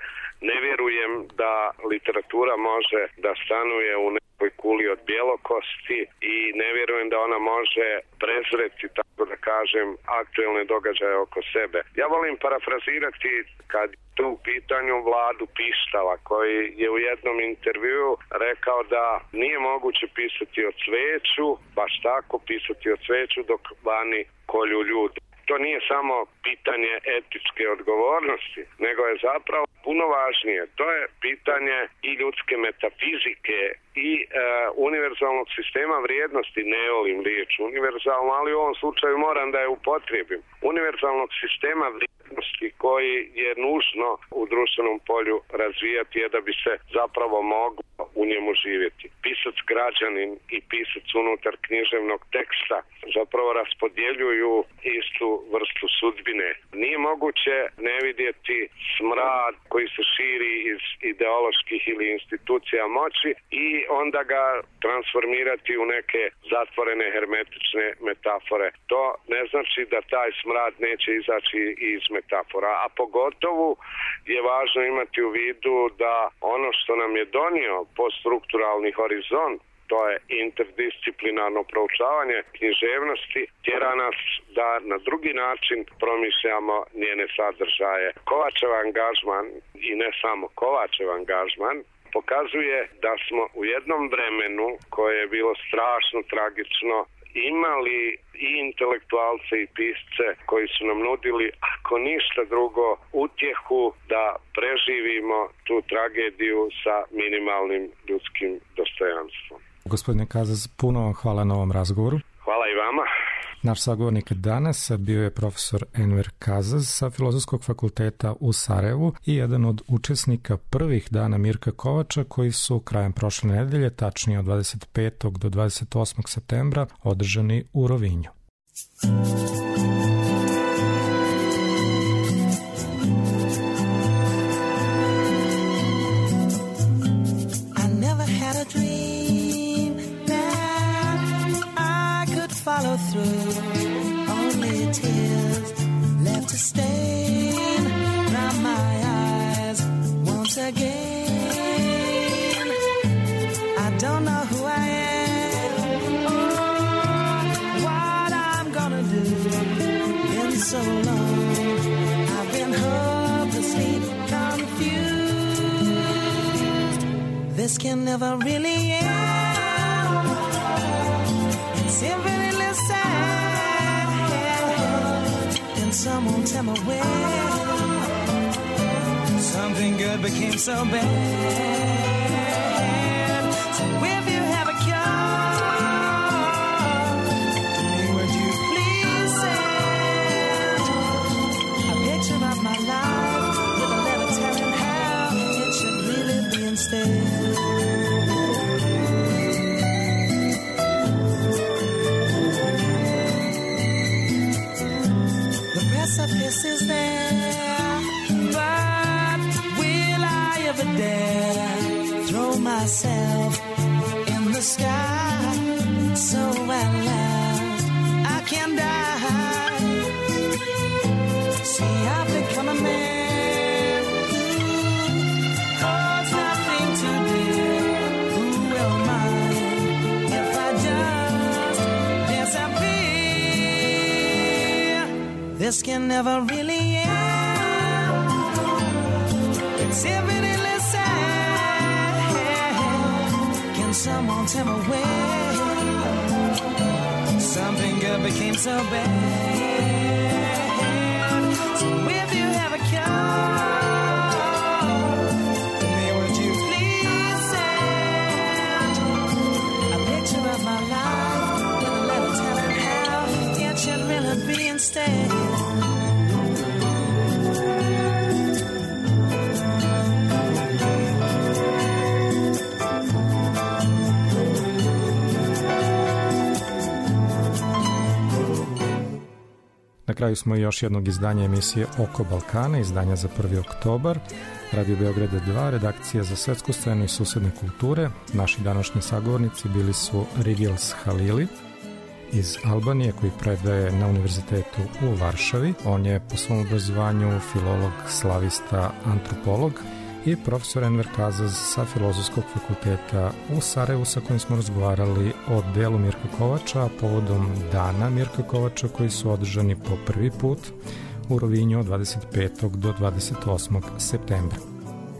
ne vjerujem da literatura može da stanuje u nekoj kuli od bjelokosti i ne vjerujem da ona može prezreti, tako da kažem, aktuelne događaje oko sebe. Ja volim parafrazirati kad tu u pitanju Vladu Pištala, koji je u jednom intervjuu rekao da nije moguće pisati o cveću, baš tako pisati o cveću dok vani kolju ljudi. To nije samo pitanje etičke odgovornosti, nego je zapravo puno važnije. To je pitanje i ljudske metafizike i e, univerzalnog sistema vrijednosti, ne volim riječ univerzalno, ali u ovom slučaju moram da je upotrijebim. Univerzalnog sistema vrijednosti koji je nužno u društvenom polju razvijati je da bi se zapravo moglo u njemu živjeti. Pisac građanin i pisac unutar književnog teksta zapravo raspodjeljuju istu vrstu sudbine. Nije moguće ne vidjeti smrad koji se širi iz ideoloških ili institucija moći i onda ga transformirati u neke zatvorene hermetične metafore. To ne znači da taj smrad neće izaći iz metafora, a pogotovo je važno imati u vidu da ono što nam je donio poststrukturalni horizont, to je interdisciplinarno proučavanje književnosti, tjera nas da na drugi način promišljamo njene sadržaje. Kovačev angažman, i ne samo Kovačev angažman, pokazuje da smo u jednom vremenu koje je bilo strašno tragično imali i intelektualce i pisce koji su nam nudili, ako ništa drugo, utjehu da preživimo tu tragediju sa minimalnim ljudskim dostojanstvom. Gospodine Kazas, puno vam hvala na ovom razgovoru. Hvala i vama. Naš sagovornik danas bio je profesor Enver Kazas sa Filozofskog fakulteta u Sarajevu i jedan od učesnika prvih dana Mirka Kovača koji su krajem prošle nedelje, tačnije od dvadeset petog do dvadeset osmog septembra, održani u Rovinju. Follow through, only tears left to stain from my eyes once again. I don't know who I am or what I'm gonna do. Been so long, I've been hopelessly confused. This can never really end. It's every someone tell me when something good became so bad. So if you have a cure, to me would you please send a picture of my life with a letter telling how it should really be instead. Precipice is there, but will I ever dare throw myself in the sky so at last I can die? See, I've become a man who holds nothing too dear. Who will mind if I just disappear? This can never really end. It's evidently sad. Can someone tell me when something good became so bad? So if you have a cure, to me would you please send a picture of my life with a letter telling how it should really be instead. Na kraju smo još jednog izdanja emisije Oko Balkana, izdanja za prvi oktobar. Radio Beograd dva, redakcija za svetsku scenu i susedne kulture. Naši današnji sagovornici bili su Rigels Halili iz Albanije, koji predaje na univerzitetu u Varšavi. On je po svom obrazovanju filolog, slavista, antropolog, i profesor Enver Kazaz sa Filozofskog fakulteta u Sarajevu, sa kojim smo razgovarali o delu Mirka Kovača, a povodom dana Mirka Kovača koji su održani po prvi put u Rovinju od dvadeset petog do dvadeset osmog septembra.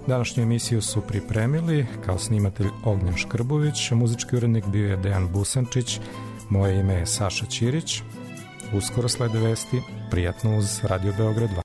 Današnju emisiju su pripremili kao snimatelj Ognjen Škrbović, muzički urednik bio je Dejan Busančić, moje ime je Saša Ćirić. Uskoro slede vesti, prijatno uz Radio Beograd dva.